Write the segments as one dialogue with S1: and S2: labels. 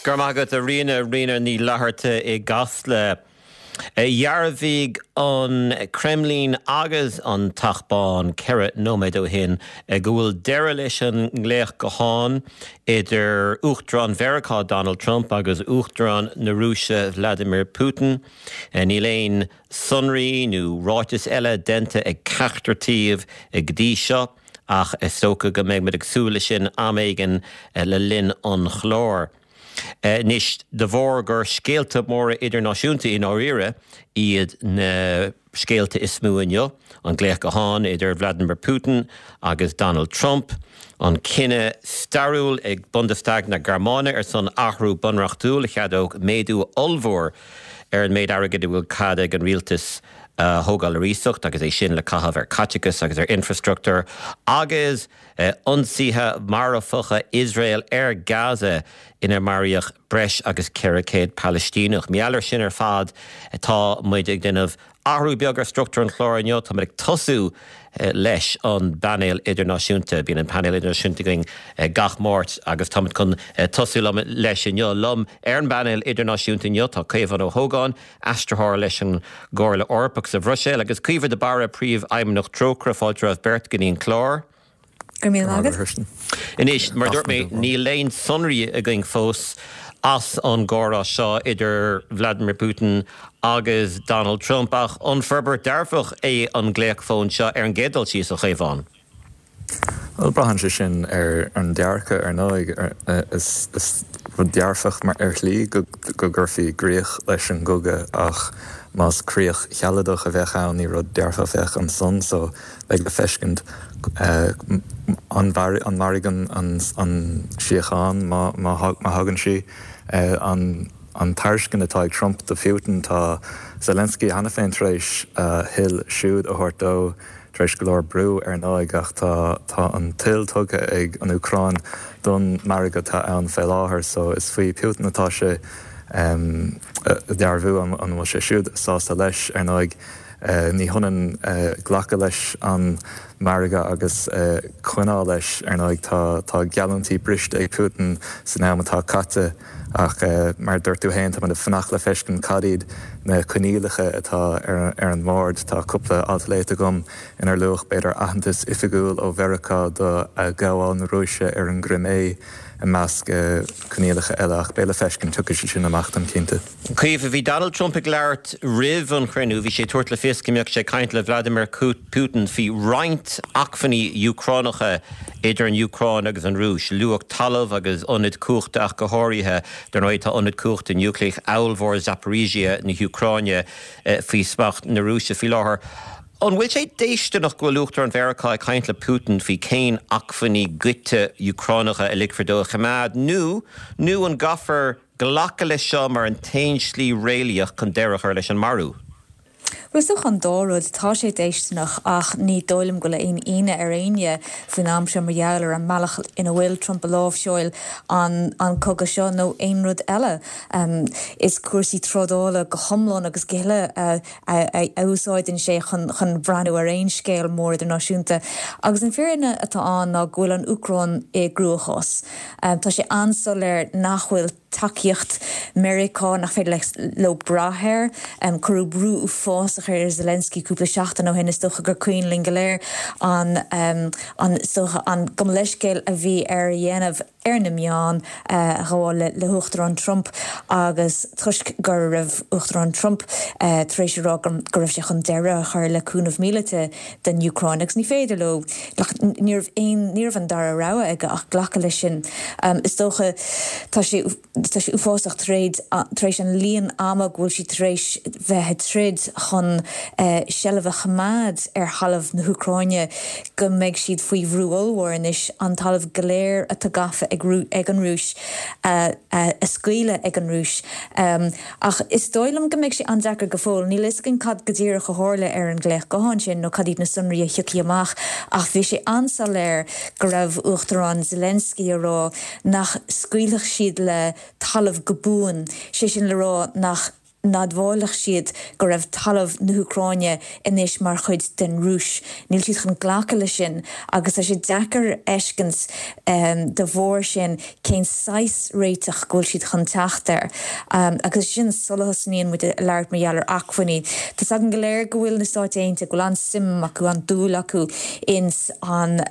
S1: Go raibh maith agat, a Ríona, Ríona Ní Fhlatharta i gCasla. Dhearbhaigh an Creimlín agus an Teach Bán 4 nóiméad ó shin go bhfuil deireadh leis an nglaoch gutháin idir Uachtarán Mheiriceá Donald Trump agus Uachtarán na Rúise Vladimir Putin. Níl aon sonraí nó ráiteas eile déanta ag ceachtar taobh go dtí seo ach is dócha go mbeidh muid ag súil leis sin am éigin le linn an chláir. Anois, de bharr gur scéalta móra idirnáisiúnta i ndáiríre iad na scéalta is mó inniu, an glaoch gutháin idir Vladimir Putin agus Donald Trump, an cinneadh stairiúil ag Bundestag na Gearmáine ar son athrú bunreachtúil a cheadódh méadú ollmhór ar an méid airgid a bhfuil cead ag an rialtas a thógáil ar iasacht agus é sin le caitheamh ar chaiteachas agus ar infreastruchtúr, agus. Ionsaithe marfacha Iosrael ar Gaza inar maraíodh breis agus 400 Palaistíneach. Mar gheall air sin ar fad tá muid ag déanamh athrú beag ar struchtúr an chláir inniu. Tá muid ag tosú leis an bpainéal idirnáisiúnta. Bíonn an painéal idirnáisiúnta againn gach Máirt agus tá muid chun tosú leis inniu. Liom ar an bpainéal idirnáisiúnta inniu tá Caomhán Ó hÓgáin, aistritheoir leis an gComhairle Eorpach sa Bhruiséil, agus Caoimhe de Barra, Príomhfheidhmeannach Trócaire. Fáilte romhaibh beirt go dtí an clár.
S2: Go raibh míle maith agat.
S1: Anois, mar a dúirt mé, níl aon sonraí againn fós as an gcomhrá seo idir Vladimir Putin agus Donald Trump, ach an forbairt dearfach é an glaoch fóin seo ar an gcéad dul síos, a Chaomháin?
S3: Bhuel, braitheann sé sin ar an dearcadh, ar ndóigh. Is rud dearfach ar shlí go gcuirfí gcríoch leis an gcogadh ach más críoch shealadach a bheadh ann, ní rud dearfach a bheadh ansan. So, beidh le feiscint an mairfidh an síocháin má thagann sí. An tairiscint atá ag Trump do Phutin, tá Zelensky cheana féin tar éis a thoil siúd a thabhairt dó. Tar éis go leor brú, ar ndóigh, ach tá tá an toil tugtha ag an Úcráin don margadh atá ann fé láthair, so is faoi Putin atá sé a dhearbhú an bhfuil sé siúd sásta leis. Ar ndóigh, ní hionann glacadh leis an margadh agus coinneáil leis. Ar ndóigh, tá tá geallúintí briste ag Putin san am atá caite. Ach mar a dúirt tú féin, táimid ag fanacht le feiscint cad iad na coinníollacha atá ar an mbord. Tá cúpla alt léite agam inar luadh b'fhéidir aitheantas oifigiúil ó Mheiriceá do ghabháil na Rúise ar an gCrimé i measc coinníollacha eile. Ach beidh le feiscint, tiocfaidh sé sin amach táim cinnte.
S1: Caoimhe, bhí Donald Trump ag labhairt roimh an chruinniú. Bhí sé ag tabhairt le fios go mbeadh sé ag caint le Vladimir Putin faoi roinnt acmhainní Úcránacha idir an Úcráin agus an Rúis. Luadh talamh agus ionaid cumhachta ach go háirithe. Dar ndóigh tá ionad cumhachta núicléach ollmhór Zaporizhzhia na hÚcráine faoi smacht na Rúise faoi láthair. An bhfuil sé déistineach go bhfuil Uachtarán Mheiriceá ag caint le Putin faoi cén acmhainní goidte Úcránacha a ligfear dó a choimeád nó nó an gcaithfear glacadh leis seo mar an t-aon slí réalaíoch chun deireadh a chur leis an marú.
S2: Bhuel, is dócha an dá rud. Tá sé déistineach ach ní dóigh liom go bhfuil aon ionadh ar éinne faoin am seo mar gheall ar an mbealach ina bhfuil Trump ag láimhseáil an cogadh seo nó aon rud eile. Is cúrsaí trádála go hiomlán agus go huile a a úsáideann sé chun chun breathnú ar aon scéal mór idirnáisiúnta. Agus an fírinne atá ann ná go bhfuil an Úcráin i gcruachás. Tá sé an-soiléir nach bhfuil tacaíocht Meiriceá, nach féidir leo brath air. Cuireadh brú uafásach ar Zelensky cúpla seachtain ó shin, is dócha gur cuimhin linn go léir an an is dócha an gabh mo leithscéal a bhí air a dhéanamh ar na meáin a ghabháil le hUachtarán Trump agus toisc go raibh Uachtarán Trump tar éis a rá go raibh sé chun deireadh a chur le cúnamh míleata don Úcráin agus ní féidir leo, ní raibh aon, ní raibh an dara rogha aige ach glacadh leis sin. Is dócha, tá sé, tá sé uafásach tar éis, tar éis an líon ama go bhfuil siad tar éis bheith ag troid chun seilbh a choimeád ar thalamh na hÚcráine go mbeidh siad faoi bhrú ollmhór anois an talamh go léir atá gafa ag ag an Rúis a a scaoileadh ag an Rúis. Ach is dóigh liom go mbeidh sé an-deacair go fóill. Níl a fhios againn cad go díreach a tharla ar an nglaoch gutháin sin nó cad iad na sonraí a thiocfaidh amach ach bhí sé an-soiléir go raibh Uachtarán Zelensky ag rá nach scaoilfeadh siad le talamh go buan, sé sin le rá nach. n-admhálfadh siad go raibh talamh na hÚcráine anois mar chuid den Rúis. Níl siad chun glacadh leis sin agus tá sé deacair a fheiscint de bharr sin cén saghas réiteach go bhfuil siad chun teacht air. Agus sin sula thosnaíonn muid ag labhairt mar gheall ar acmhainní. Tá's againn go léir go bhfuil na Stáit Aontaithe, go bhfuil an-suim acu, an-dúil acu ins an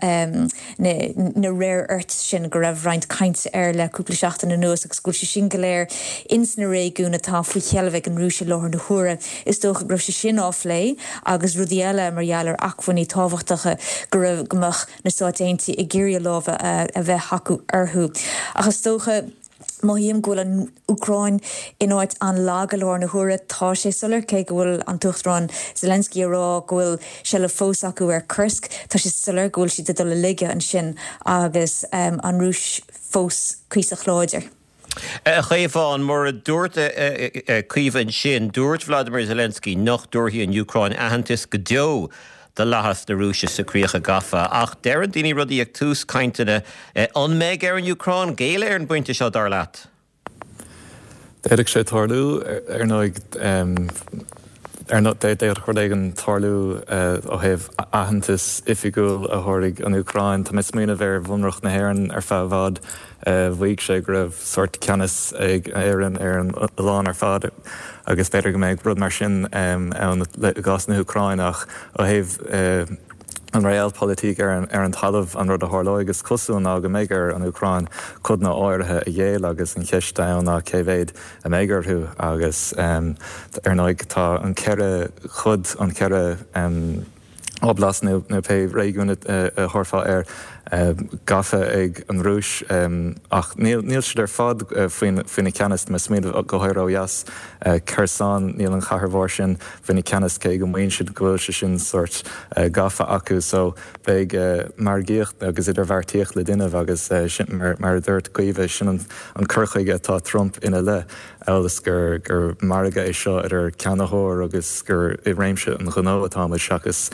S2: na rare earths sin go raibh roinnt cainte air le cúpla seachtain anuas agus go bhfuil sé sin go léir ins na réigiúin atá faoi sheilbh ag an Rúis i láthair na huaire. Is dócha go raibh sé sin á phlé agus rudaí eile mar gheall ar acmhainní tábhachtacha go raibh, go mbeadh na Stáit Aontaithe ag iarraidh a lámha a bheith acu orthu. Ach is dócha, mothaím go bhfuil an Úcráin in áit an-lag i láthair na huaire. Tá sé soiléir, cé go bhfuil an tUachtarán Zelensky ag rá go bhfuil seilbh fós acu ar Kursk, tá sé soiléir go bhfuil siad ag dul i laige ansin agus an Rúis fós cuíosach láidir.
S1: A Chaomháin, mar a dúirt Caoimhe ansin, dúirt Vladimir Zelensky nach dtabharfaidh an Úcráin aitheantas go deo do fhlaitheas na Rúise sna críocha gafa. Ach deireann daoine rudaí ag tús cainteanna. An mbeidh ar an Úcráin géilleadh ar an bpointe seo, dar leat?
S3: D'fhéadfadh sé tarlú, ar ndóigh. Ar ndóigh, d'fhéadfadh rud éigin tarlú ó thaobh aitheantas oifigiúil a thabharfaidh an Úcráin. Tá mé ag smaoineamh ar Bhunreacht na hÉireann ar feadh i bhfad. Mhaígh sé go raibh sórt ceannas ag Éirinn ar an oileán ar fad agus b'fhéidir go mbeadh rud mar sin ann i gcás na hÚcráine ach ó thaobh an realpolitik ar an talamh an rud a tharlóidh is cosúil ná go mbeidh ar an Úcráin codanna áirithe a ghéilleadh agus an cheist ann ná cé mhéad a mbeidh orthu agus ar ndóigh tá an ceithre chuid, an ceithre. oblast nó pé réigiún a thabharfá air, gafa ag an Rúis. Ach níl siad ar fad faoina ceannas. Tá mé ag smaoineamh go háirithe ó dheas, Kherson, níl an chathair mhór sin faoina ceannas cé go maíonn siad go bhfuil sé sin sórt gafa acu. So beidh margaíocht agus idirbheartaíocht le déanamh agus sin, mar a dúirt Caoimhe, sin an cur chuige atá Trump ina leith. amhail is gur gur margadh é seo idir ceannaitheoir agus gur i réimse an ghnó atáimid seachas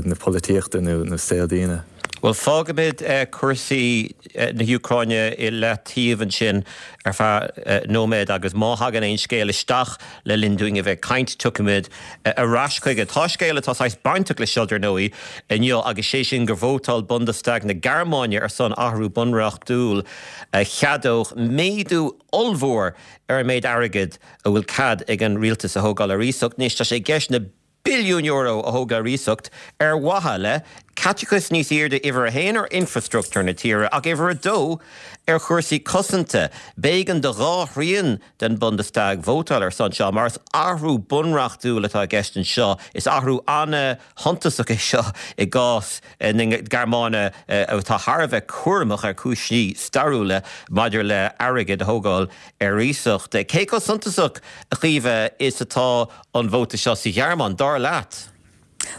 S3: na polaitíochta nó nó saol daoine.
S1: Bhuel, fágfaimid cúrsaí na hÚcráine i leataobh ansin ar feadh nóiméad agus má thagann aon scéal isteach le linn dúinn a bheith ag caint, tiocfaimid ar ais chuige. Tá scéal atá saghas bainteach leis seo, dar ndóigh, inniu agus sé sin gur vótáil Bundestag na Gearmáine ar son athrú bunreachtúil a cheadódh méadú ollmhór ar an méid airgid a bhfuil cead ag an rialtas a thógáil ar iasacht. Anois tá sé i gceist na billiúin euro a thógáil ar iasacht ar mhaithe le caiteachas níos airde uimhir a haon ar infreastruchtúr na tíre ach uimhir a dó ar chúrsaí cosanta. B'éigean do dhá thrian den Bundestag vótáil ar son seo mar is athrú bunreachtúil atá i gceist anseo. Is athrú an-shuntasach é seo i gcás na Gearmáine atá thar a bheith cúramach ar chúinsí stairiúla maidir le airgead a thógáil ar iasacht. Cé chomh suntasach, a Chaoimhe, is atá an vóta seo sa Ghearmáin, dar leat?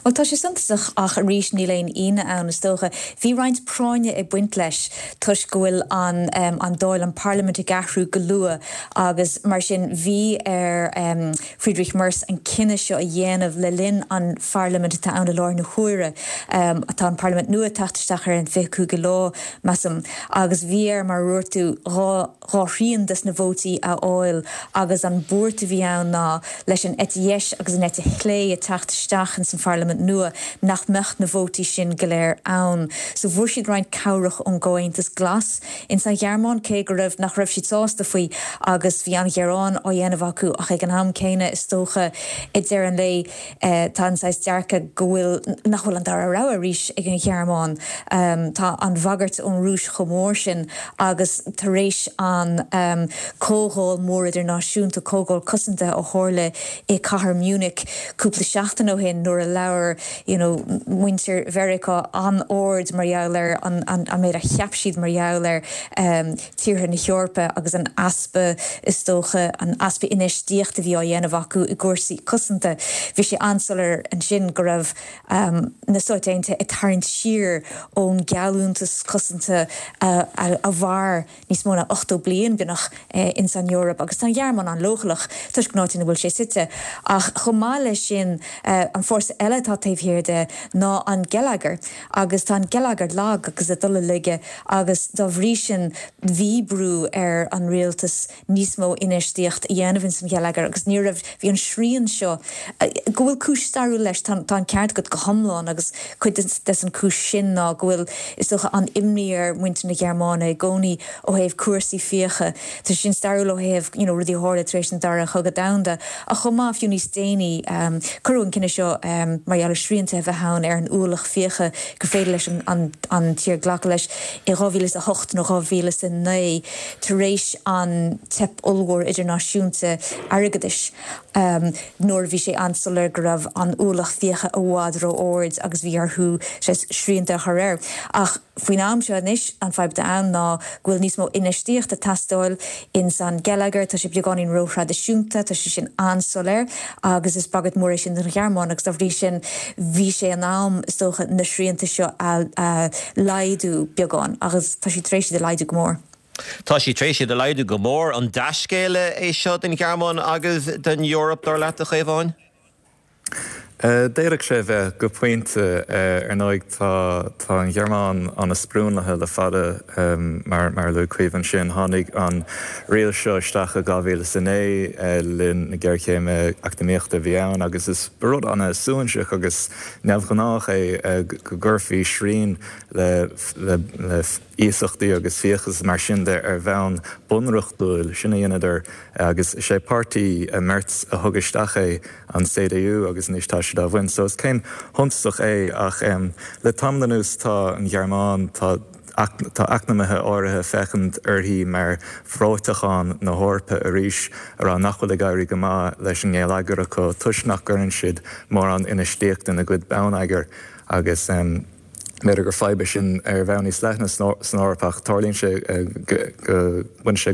S2: Bhuel, tá sé suntasach ach arís níl aon ionadh ann, is dócha. Bhí roinnt práinne ag baint leis toisc go bhfuil an an Dáil, an Parlaimint ag athrú go luath agus mar sin bhí ar Friedrich Merz an cinneadh seo a dhéanamh le linn an pharlaimint atá ann i láthair na huaire. Tá an parlaimint nua ag teacht isteach ar an 25ú lá, measaim, agus bhí air, mar a dúirt tú, dhá dhá thrian des na vótaí a fháil agus an buairt a bhí ann ná leis an eite dheis agus an eite chlé ag teacht isteach ins an pharlaimint nua nach mbeadh na vótaí sin go léir ann. So fuair siad roinnt cabhrach ón gComhaontas Glas. Ins an Ghearmáin, cé go raibh, nach raibh siad sásta faoi agus bhí an-ghearán á dhéanamh acu ach ag an am céanna is dócha i deireadh an lae tá an saghas dearcadh go bhfuil, nach bhfuil an dara rogha arís ag an Ghearmáin. Tá an bhagairt ón Rúis chomh mór sin agus tar éis an comhdháil mór idirnáisiúnta, comhdháil cosanta a tharla i cathair Munich cúpla seachtain ó shin nuair a labhair you know muintir Mheiriceá an-ard mar gheall ar an an méid a cheap siad mar gheall ar tíortha na hEorpa agus an easpa, is dócha, an easpa infheistíochta a bhí á dhéanamh acu i gcúrsaí cosanta. Bhí sé an-soiléir ansin go raibh na Stáit Aontaithe ag tarraingt siar ón geallúntas cosanta a mhair níos mó ná 80 bliain, beagnach, ins an Eoraip agus tá an Ghearmáin an-leochaileach toisc an áit ina bhfuil sé suite. Ach chomh maith leis sin, an fórsa eile. eile atá taobh thiar de ná an geilleagar agus tá an geilleagar lag agus ag dul i laige agus dá bhrí sin bhí brú ar an rialtas níos mó infheistíocht a dhéanamh ins an gheilleagar agus ní raibh, bhí an srian seo, go bhfuil cúis stairiúil leis, tá an ceart agat go hiomlán agus cuid des an cúis sin ná go bhfuil, is dócha, an imní ar mhuintir na Gearmáine i gcónaí ó thaobh cúrsaí fiacha. Tá sin stairiúil ó thaobh, you know, rudaí a tharla tar éis an Dara Chogadh Domhanda ach chomh maith, fiú níos déanaí, cuireadh an cinneadh seo mar gheall ar srianta a bheith ann ar an ualach fiacha gur féidir leis an an tír glacadh leis i 2008 nó 2009. tar éis an teip ollmhór idirnáisiúnta airgeadais, nuair a bhí sé an-soiléir go raibh an ualach fiacha i bhfad ró-ard agus bhí orthu srianta a chur air. Ach faoin am seo anois, an fadhb atá ann ná go bhfuil níos mó infheistíochta ag teastáil ins an geilleagar, tá sé beagáinín ró-thraidisiúnta, tá sé sin an-soiléir agus is bagairt mhór é sin don Ghearmáin agus dá bhrí sin bhí sé in am, is dócha, na srianta seo a laghdú beagán agus tá siad tar éis iad a laghdú go mór.
S1: Tá siad tar éis iad a laghdú go mór. An dea-scéala é seo don Ghearmáin agus don Eoraip, dar leat, a Chaomháin?
S3: D'fhéadfadh sé a bheith, go pointe. Ar ndóigh, tá tá an Ghearmáin an-sprionlaithe le fada, mar mar a luaigh Caoimhe ansin. Tháinig an riail seo isteach i 2009 le linn na géarchéime eacnamaíochta a bhí ann agus is rud an-suaithinseach agus neamhghnách é go gcuirfí srian le le le iasachtaí agus fiachas mar sin de ar bhonn bunreachtúil. Sin a dheineadar agus is é páirtí Merz a thug isteach é, an CDU, agus anois tá siad á bhaint. So is céim shuntasach é ach le tamall anuas tá an Ghearmáin, tá tá eacnamaithe áirithe ag féachaint uirthi mar bhreoiteachán na hEorpa arís, a rá nach bhfuil ag éirí go maith leis an ngeilleagar acu toisc nach gcuireann siad mórán infheistíochta ina gcuid bonneagair agus. B'fhéidir gur fadhb é sin ar bhonn níos leithne san Eoraip ach tarlaíonn sé go mbaineann sé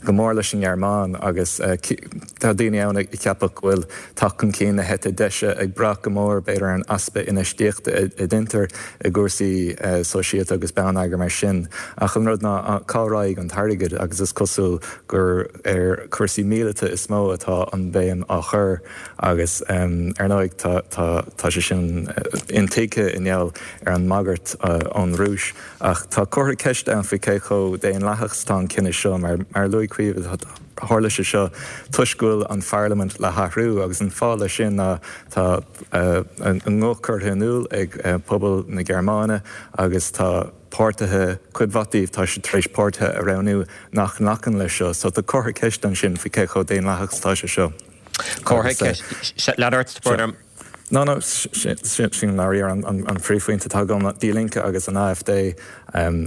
S3: go mór leis an nGearmáin agus tá daoine ann ag ceapadh go bhfuil teacht chun cinn na heite deise ag brath go mór b'fhéidir ar an easpa infheistíochta a deintear i gcúrsaí sóisialta agus bonneagair mar sin. Ach an rud ná cá raghaidh an t-airgead agus is cosúil gur ar chúrsaí míleata is mó atá an bhéim á chur. Agus ar ndóigh tá sé sin intuigthe i ngeall ar an mbagairt ón Rúis. Ach tá comhartha ceiste ann faoi cé chomh daonlathach is atá an cinneadh seo. Mar a luaigh Caoimhe, tharla sé seo toisc go bhfuil an pharlaimint le hathrú agus an fáth leis sin ná tá a nguth curtha in iúl ag pobal na Gearmáine agus tá páirtithe, cuid mhaith díobh, tá siad tar éis páirtithe a roghnú nach nglacann leis seo. So tá comhartha ceiste ansin faoi cé chomh daonlathach is atá sé seo.
S1: Comhartha ceiste. Lean ort, Bernard.
S3: No, no, sin i ndáiríre an príomhphointe atá agam, Die Linke agus an AfD,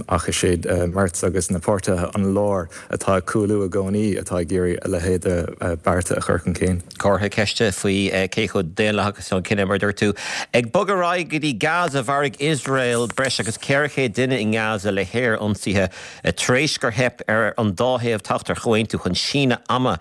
S3: ach is iad Merz agus na páirtithe an láir atá ag cúlú i gcónaí atá ag iarraidh a leithéid de bearta a chur chun cinn.
S1: Comhartha ceiste faoi cé chomh daonlathach is atá an cinneadh, mar a dúirt tú. Ag bogadh ar aghaidh go dtí Gaza, mharaigh Iosrael breis agus 400 duine i nGaza le haer-ionsaithe tar éis gur theip ar an dá thaobh teacht ar chomhaontú chun síneadh ama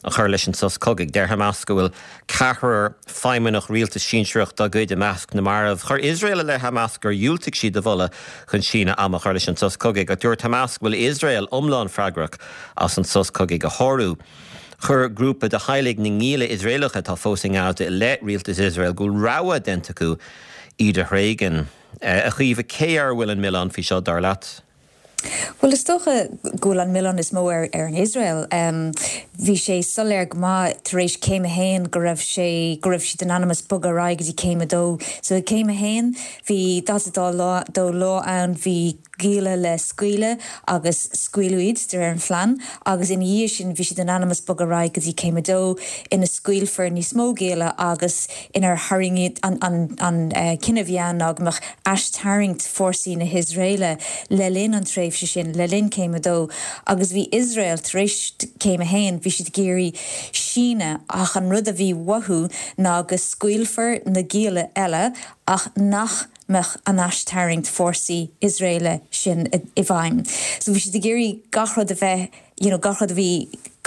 S1: a chur leis an sos cogaidh. Deir Hamas go bhfuil ceathrar feidhmeannach rialtais sinsearach dá gcuid i measc na marbh. Chuir Iosrael i leith Hamas gur dhiúltaigh siad a mholadh chun síneadh ama a chur leis an sos cogaidh, ach dúirt Hamas go bhfuil Iosrael iomlán freagrach as an sos cogaidh a shárú. Chuir grúpa de theaghlaigh na ngialla Iosraelacha atá fós i nGaza i leith rialtas Iosrael go bhfuil rogha déanta acu iad a thréigean. A Chaoimhe, cé air a bhfuil an milleán faoi seo, dar leat?
S2: Bhuel, is dócha go bhfuil an milleán is mó ar ar an Iosrael. Bhí sé soiléir go maith tar éis céim a haon go raibh sé, go raibh siad in ainm is bogadh ar aghaidh go dtí céim a dó. So i gcéim a haon bhí 42 lá, dó lá ann, bhí gialla le scaoileadh agus scaoileadh iad de réir an phlean agus ina dhiaidh sin bhí siad in ainm is bogadh ar aghaidh go dtí céim a dó ina scaoilfear níos mó gialla agus inar tharraing an an cinneadh a bhí ann ná go mbeadh aistarraingt fórsaí na hIosraeile le linn an tréimhse sin, le linn Céim 2, agus bhí Iosrael tar éis Céim 1, bhí siad ag iarraidh síneadh ach an rud a bhí uathu ná go scaoilfear na gialla eile ach nach mbeadh an aistarraingt fórsaí Iosraeile sin i bhfeidhm. So bhí siad ag iarraidh gach rud a bheith. you know gach rud a bhí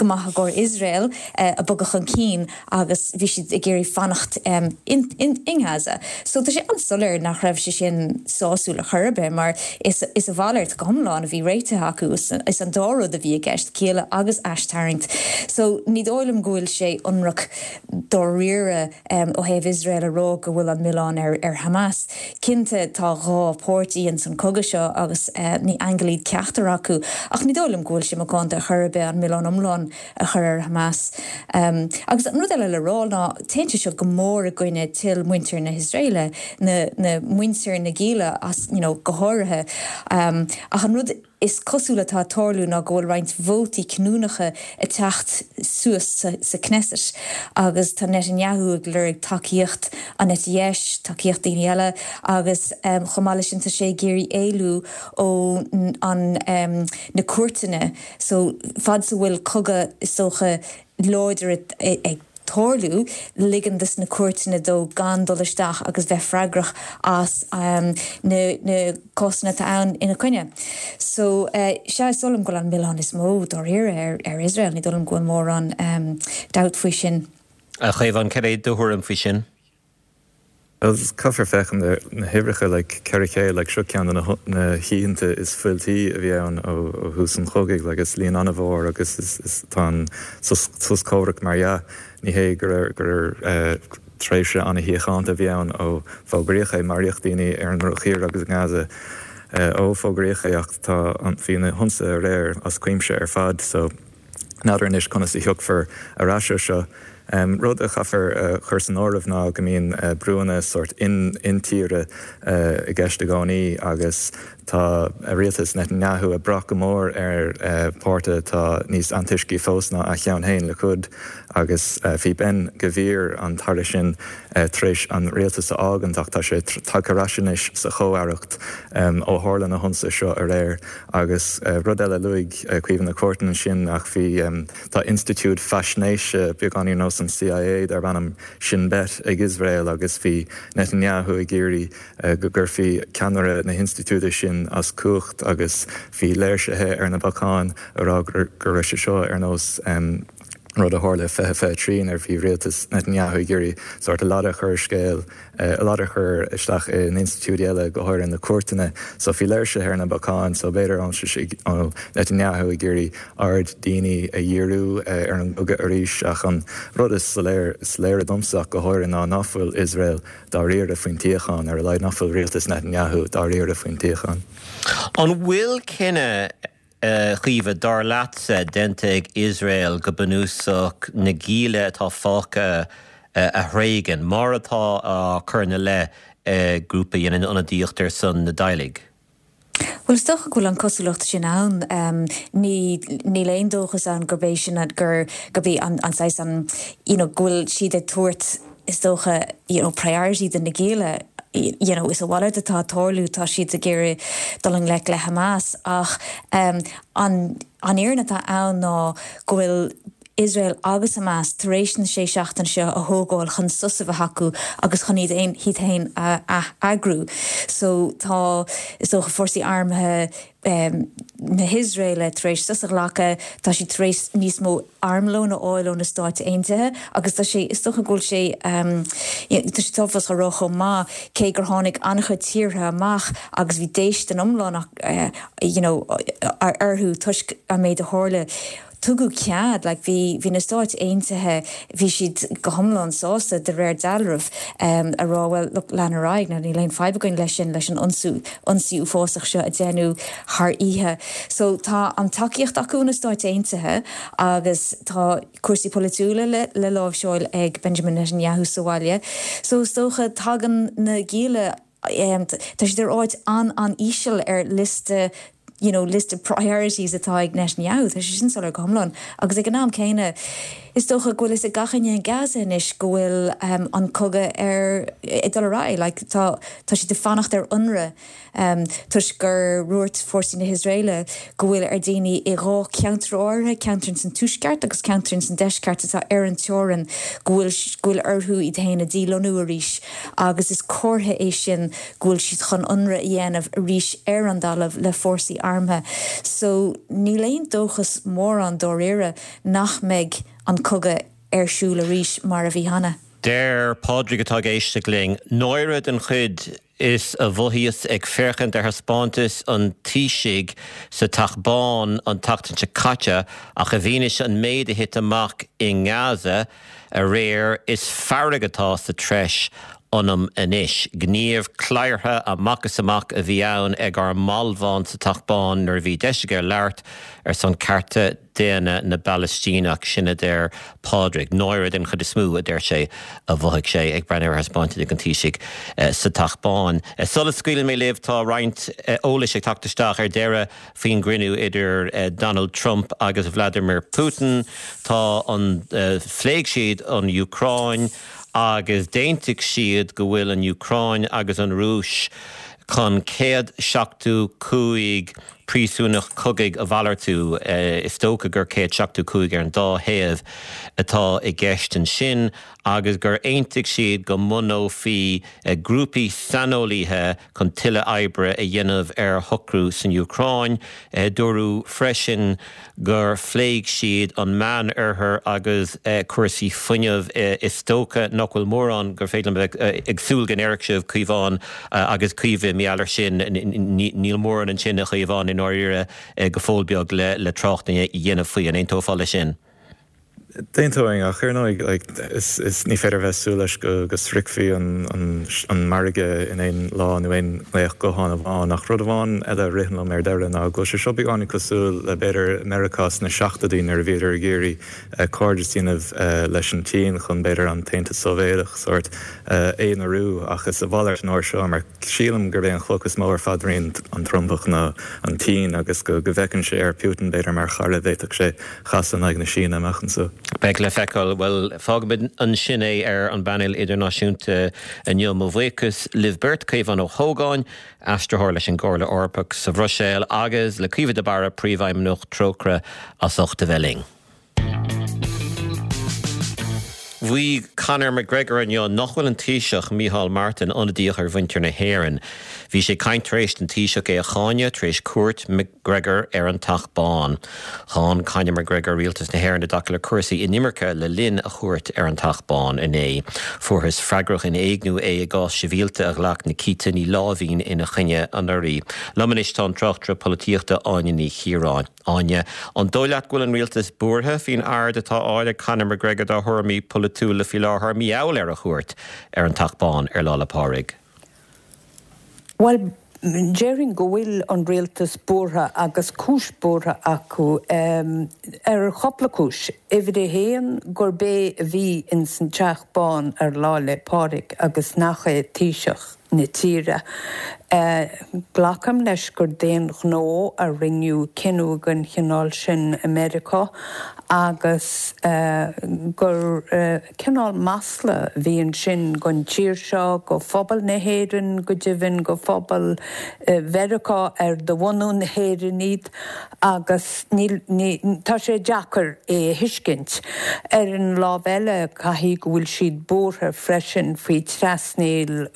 S2: go maith i gcomhair Iosrael a bogadh chun cinn agus bhí siad ag iarraidh fanacht in in Gaza. So tá sé an-soiléir nach raibh sé sin sásúil ar chor ar bith mar is is a mhalairt go hiomlán a bhí réitithe acu, is an dá rud a bhí i gceist, gialla agus aistarraingt. So ní dóigh liom go bhfuil sé ionraic dáiríre ó thaobh Iosrael a rá go bhfuil an milleán ar ar Hamas. Cinnte tá dhá pháirtí ins an cogadh seo agus ní aingil iad ceachtar acu ach ní dóigh liom go bhfuil sé macánta ar chor ar bith an milleán iomlán a chur ar Hamas. Agus an rud eile le rá ná téann sé seo go mór i gcoinne toil muintir na hIosraeile, na na muintir na gialla as you know go háirithe. Ach an rud is cosúil atá ag tarlú ná go bhfuil roinnt vótaí cinniúnacha ag teacht suas sa Knesset agus tá Netanyahu ag lorg tacaíocht an eite dheis, tacaíocht daoine eile agus chomh maith leis sin tá sé ag iarraidh éalú ó an na cúirteanna so fad is a bhfuil cogadh is dócha láidir ag tarlú, ligean dos na cúirteanna dó gan dul isteach agus bheith freagrach as na cásanna atá ann ina coinne. So, sea, is dóigh liom go bhfuil an milleán is mó dáiríre ar Iosrael, ní dóigh liom go bhfuil mórán dabht faoi sin.
S1: A Chaomháin, cad é do thuairim faoi sin?
S3: Bhuel, caithfear féachaint ar na huimhreacha, like, 400, like, seo ceann de na na hoícheanta is fuiltí a bhí ann ó ó thús an chogaidh, like, is líon an-mhór agus is is tá an sos sos comhraic mar dhea, ní hé gur gur eh tréimhse an-shíochánta a bhí ann ó fógraíodh é, maraíodh daoine ar an ndrochair agus i nGaza eh ó fógraíodh é ach tá an bhí na hionsaithe aréir as cuimse ar fad so. N'fheadar anois conas a thiocfar ar ais ó seo. Rud a chaithfear a chur san áireamh ná go mbíonn brúanna sórt intíre i gceist i gcónaí agus tá rialtas Netanyahu ag brath go mór ar pháirtí atá níos antoiscí fós ná a cheann féin, Likud, agus bhí Ben Gvir, an t-aire sin, tar éis an rialtas a fhágaint ach tá sé tagtha ar ais anois sa chomh-aireacht ó tharla na hionsaithe seo aréir. Agus rud eile, luaigh Caoimhe na cúirteanna sin ach bhí, tá institiúid faisnéise, beagáinín ar nós an CIA, darb ainm Shin Bet ag Iosrael agus bhí Netanyahu ag iarraidh go gcuirfí ceannaire na hinstitiúide sin as cumhacht agus bhí léirsithe ar na bacáin ag rá go raibh sé seo ar nós rud a tharla i 2023 nuair a bhí rialtas Netanyahu ag iarraidh sórt a ladar a chur i scéal. a ladar a chur isteach in institiúidí eile, go háirithe na cúirteanna. So bhí léirsithe ar na bacáin, so b'fhéidir ó Netanyahu ag iarraidh aird daoine a dhíriú ar an gcogadh arís. Ach an rud is soiléir, is léire domsa ach go háirithe ná ná fuil Iosrael dáiríre faoin tsíocháin, ar a laghad ná fuil rialtas Netanyahu dáiríre faoin tsíocháin.
S1: An bhfuil cinneadh A Chaoimhe, dar leatsa, déanta ag Iosrael go bunúsach na gialla atá fágtha a thréigean, mar atá á cur ina leith ag grúpa a dhéanann ionadaíocht ar son na dteaghlaigh?
S2: Bhuel, is dócha go bhfuil an cosúlacht sin ann. Ní, níl aon dóchas ann gurb é sin, gur, gurb é an, an saghas, an, you know, go bhfuil siad ag tabhairt, is dócha, you know, priority do na gialla, you know, is a mhalairt atá ag tarlú, tá siad ag iarraidh dul i ngleic le Hamas ach an an fhírinne atá ann ná go bhfuil Iosrael agus Hamas tar éis na sé seachtaine seo a thógáil chun sos a bheith acu agus chun iad iad féin a ath-eagrú. So tá, is dócha, fórsaí armtha na hIosraeile tar éis sos a ghlacadh, tá siad tar éis níos mó armlóin a fháil ó na Stáit Aontaithe agus tá sé, is dócha go bhfuil sé, tá sé tábhachtach a rá chomh maith, cé gur tháinig an-chuid tíortha amach agus bhí déistin iomlán you know orthu toisc an méid a tharla, Tugadh cead, like bhí, bhí na Stáit Aontaithe, bhí siad go hiomlán sásta, de réir dealraimh, a rá well look, lean ar aghaidh, níl aon fadhb againn leis sin, leis an ionsú, ionsaí uafásach seo a deineadh thar oíche. So tá an tacaíocht acu ó na Stáit Aontaithe agus tá cúrsaí polaitiúla le, le láimhseáil ag Benjamin Netanyahu sa bhaile. So is dócha tagann na gialla, Tá siad ar áit an-an-íseal ar liosta you know list of priorities atá ag Netanyahu, tá sé sin soiléir go hiomlán. Agus ag an am céanna, is dócha go bhfuil fhios ag gach éinne in Gaza anois go bhfuil an cogadh ar ag dul ar aghaidh, like tá tá siad ag fanacht ar ionradh. Toisc gur dhúirt fórsaí na hIosraeile go bhfuil ar daoine i dhá cheantar áirithe, ceantar ins an tuaisceart agus ceantar ins an deisceart atá ar an teorainn, go bhfuil go bhfuil orthu iad féin a dhílonnú arís agus is comhartha é sin go bhfuil siad chun ionradh a dhéanamh arís ar an dtalamh le fórsaí armtha. armtha. So níl aon dóchas mórán dáiríre nach mbeidh an cogadh ar siúl arís mar a bhí cheana.
S1: Deir Pádraig atá ag éisteacht linn, Náire den chuid is a mhothaíos ag féachaint ar thaispeántas an Taoisigh sa Teach Bán an tseachtain seo caite ach i bhfianaise an méid a thit amach i nGaza aréir is fearg atá sa treis ionam anois. Gníomh cladhartha amach is amach a bhí ann ag ár mbalbhán sa Teach Bán nuair a bhí deis aige labhairt ar son cearta daonna na bPalaistíneach, sin a deir Pádraig. Náire den chuid is mó, a deir sé, a mhothaigh sé ag breathnú ar thaispeántas an Taoisigh sa Teach Bán. Sula scaoileann mé libh, tá roinnt eolais ag teacht isteach ar deireadh faoin gcruinniú idir Donald Trump agus Vladimir Putin. Tá an, phléigh siad an Úcráin agus d'aontaigh siad go bhfuil an Úcráin agus an Rúis chun 175 príosúnach cogaidh a mhalartú. Is dócha gur 175 ar an dá thaobh atá i gceist ansin agus gur aontaigh siad go mbunófaí grúpaí saineolaithe chun tuilleadh oibre a dhéanamh ar shocrú san Úcráin. Dúradh freisin gur phléigh siad an Meánoirthear agus cúrsaí fuinnimh. Is dócha nach bhfuil mórán gur féidir liom a bheith ag súil go ndéarfadh sibh, Caomhán agus Caoimhe, mar gheall air sin. Níl mórán ansin, a Chaomháin, i ndáiríre, go fóill beag le trácht a dhéanamh faoi. An aontófá leis sin?
S3: D'aontóinn, ach ar ndóigh, like, is, is, ní féidir a bheith ag súil leis go, go sroichfí an, an, an margadh in aon lá nó aon ghlaoch gutháin amháin. Ach rud amháin eile a ritheann liom ar deireadh ná go bhfuil sé seo beagáinín cosúil le, b'fhéidir, Meiriceá sna seachtóidí nuair a bhíodar ag iarraidh cairdeas a dhéanamh leis an tSín chun, b'fhéidir, an tAontas Sóivéadach sórt a aonarú. Ach is a mhalairt an uair seo mar. Sílim gurb é an chloch is mó ar phaidrín an Trumpach ná an tSín agus go bhfeiceann sé ar Putin, b'fhéidir, mar chara a bhféadfadh sé chasadh in aghaidh na Síne amach anseo.
S1: Beidh le feiceáil. Bhuel, fágfaimid ansin é ar an bpainéal idirnáisiúnta inniu. Mo bhuíochas libh beirt, Caomhán Ó hÓgáin, aistritheoir leis an gComhairle Eorpach sa Bhruiséil, agus le Caoimhe de Barra, Príomhfheidhmeannach Trócaire, as ucht a bheith linn. Mhaígh Conor McGregor inniu nach bhfuil an Taoiseach, Micheál Martin, ionadaíoch ar mhuintir na hÉireann. Bhí sé ag caint tar éis don Taoiseach é a cháineadh tar éis cuairt McGregor ar an Teach Bán. Cháin Conor McGregor rialtas na hÉireann i dtaca le cúrsaí inimirce le linn a chuairt ar an Teach Bán inné. Fuarthas freagrach in éigniú é i gcás sibhialta a ghlac Nikita Ní Láimhín ina choinne anuraidh. Liom anois tá an tráchtaire polaitíochta Áine Ní Chiaráin. Áine, An dóigh leat go bhfuil an rialtas buartha faoin aird atá á fháil ag Conor McGregor dá thuairimí polaitiúla faoi láthair, mar gheall ar a chuairt ar an Teach Bán ar Lá 'le Pádraig?
S4: Bhuel, déarfainn go bhfuil an rialtas buartha agus cúis buartha acu ar chúpla cúis. Uimhir a haon, gurb é a bhí ins an Teach Bán ar Lá 'le Pádraig agus nach é Taoiseach. na tíre. Glacaim leis gur d'aon ghnó a rinneadh cinneadh den chineál sin i Meiriceá agus gur cineál masla a bhí ansin don tír seo, do phobal na hÉireann, go deimhin do phobal Mheiriceá ar de bhunú na hÉireann iad agus níl, ní, tá sé deacair é a thuiscint. Ar an lámh eile, caithfidh go bhfuil siad buartha freisin faoi trasnaíl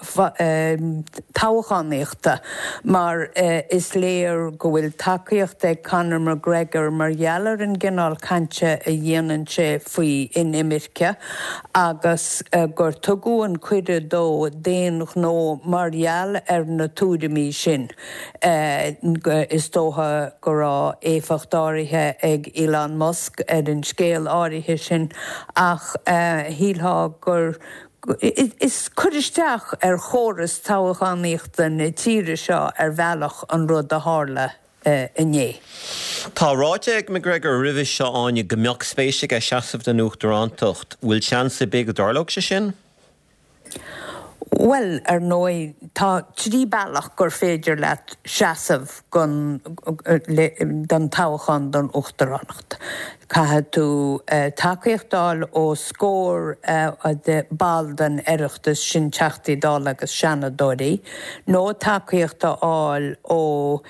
S4: toghchánaíochta mar is léir go bhfuil tacaíocht ag Conor McGregor mar gheall ar an gcineál cainte a dhéanann sé faoi inimirce agus gur tugadh an cuireadh dó d'aon ghnó mar gheall ar na tuairimí sin. Is dócha go raibh éifeacht áirithe ag Elon Musk ar an scéal áirithe sin ach shílfeá gur Is cur isteach ar chóras toghchánaíochta na tíre seo ar bhealach an rud a tharla inné.
S1: Tá ráite ag McGregor roimhe seo, Áine, go mbeadh spéis aige seasamh don uachtarántacht. Bhfuil seans ar bith go dtarlódh sé sin?
S4: Bhuel, ar ndóigh, tá 3 bealach gur féidir leat seasamh don toghchán don uachtaránacht. Caithfidh tú tacaíocht a fháil ó scór de ball den Oireachtas, sin Teachtaí Dála agus Seanadóirí, nó tacaíocht a fháil ó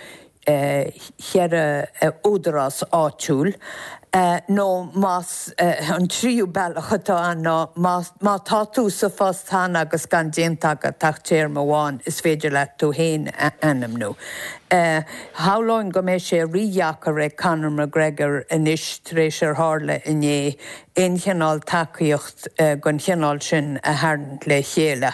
S4: cheithre údarás áitiúil. Nó más, an tríú bealach atá ann ná má tá tú sa phost cheana agus gan déanta agat ach téarma amháin, is féidir leat tú féin a ainmniú. Shamhlóinn go mbeidh sé rídheacair ag Conor McGregor anois tar éis ar tharla inné aon chineál tacaíocht den chineál sin a tharraingt le chéile.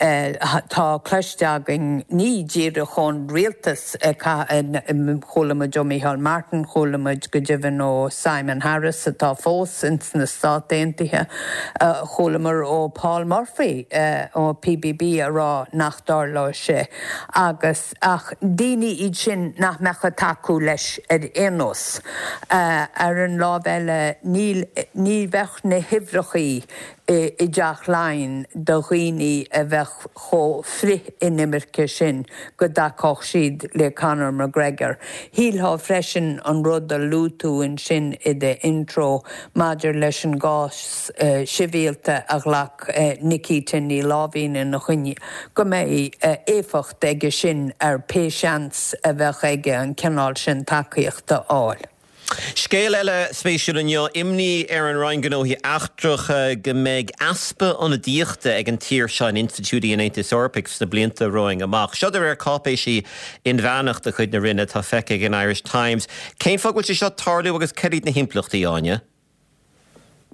S4: Tá cloiste againn, ní díreach ón rialtas, chuala muid ó Micheál Martin, chuala muid go deimhin ó Simon Harris atá fós ins na Stáit Aontaithe, chualamar ó Paul Murphy ó PBB a rá nach dtarlóidh sé agus. Ach daoine iad sin nach mbeadh ag tacú leis ar aon nós. Ar an lámh eile, níl, ní bheadh na huimhreachaí i dTeach Laighean do dhaoine a bheadh chomh frith-inimirce sin go dtacódh siad le Conor McGregor. Shílfeá freisin an rud a luaigh tú ansin i d'intro maidir leis an gcás sibhialta a ghlac Nikita Ní Láimhín ina choinne, go mbeidh éifeacht aige sin ar pé seans a bheadh aige an cineál sin tacaíochta a fháil.
S1: Scéal eile spéisiúil inniu, imní ar an Roinn Gnóthaí Eachtracha go mbeidh easpa ionadaíochta ag an tír seo in institiúidí an Aontais Eorpaigh sna blianta romhainn amach. Seo de réir cáipéisí inmheánach de chuid na Roinne atá feicthe ag an Irish Times. Cén fáth go bhfuil sé seo ag tarlú agus cad iad na himpleachtaí, Áine?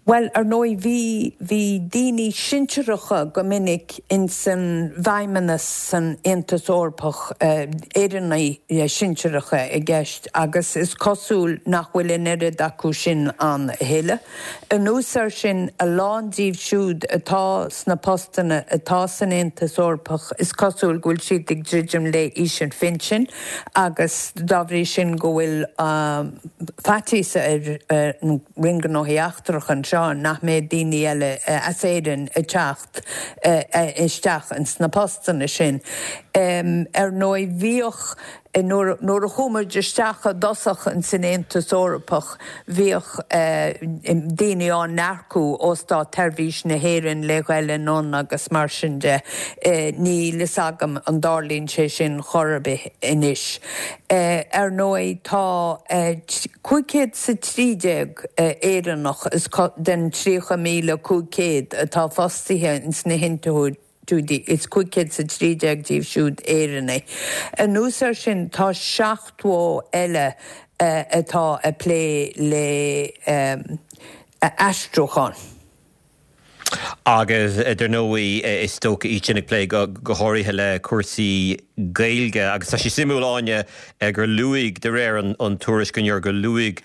S4: Bhuel, ar ndóigh, bhí, bhí daoine sinsearacha go minic ins an bhFeidhmeannas san Aontas Eorpach, Éireannaigh sinsearacha i gceist, agus is cosúil nach bhfuil an oiread acu sin ann a thuilleadh. Anuas air sin, a lán díobh siúd atá sna postanna atá san Aontas Eorpach, is cosúil go bhfuil siad ag druidim le haois an phinsin agus dá bhrí sin go bhfuil faitíos ar an Roinn Gnóthaí Eachtracha anseo nach mbeidh daoine eile as Éirinn ag teacht isteach ins na postanna sin. Ar ndóigh bhíodh, nuair a chuaigh muid isteach i dtosach ins an Aontas Eorpach, bhíodh daoine á n-earcú ó Státsheirbhís na hÉireann le ghoil anonn agus mar sin de. Níl fhios agam an dtarlaíonn sé sin chor ar bith anois. Ar ndóigh tá 513 Éireannach is den 30,500 atá fostaithe ins na hinstitiúidí, is 513 díobh siúd Éireannaigh. Anuas air sin tá 70 eile atá ag plé le aistriúchán.
S1: Agus dar ndóigh, is dócha iad sin ag plé go háirithe le cúrsaí Gaeilge. Agus tá sé suimiúil, Áine, gur luaigh, de réir an tuairisc inniu, gur luaigh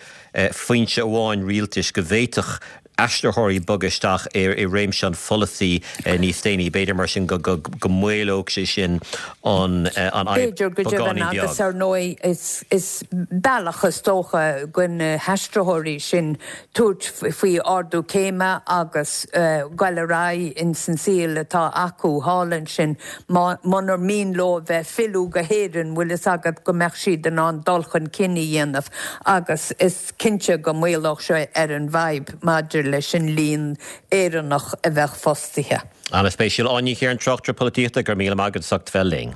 S1: foinse amháin rialtais go bhféadfadh aistritheoirí bogadh isteach i réimse an pholasaí níos déanaí. B'fhéidir mar sin go maolódh sé sin an fhadhb
S4: B'fhéidir go deimhin
S1: beagáinín beag.
S4: agus ar ndóigh is bealach is dócha do na haistritheoirí sin tabhairt faoi ardú céime agus goil ar aghaidh ins an saol atá acu thall ansin munar mian leo a bheith filleadh go hÉirinn, bhfuil fhios agat go mbeadh siad in ann dul chun cinn a dhéanamh agus is cinnte go maolódh sé ar an bhfadhb maidir leis an líon Éireannach a bheadh fostaithe.
S1: An-spéisiúil. Áine Ní Chiaráin, tráchtaire polaitíochta, go raibh míle maith agat as ucht bheith linn.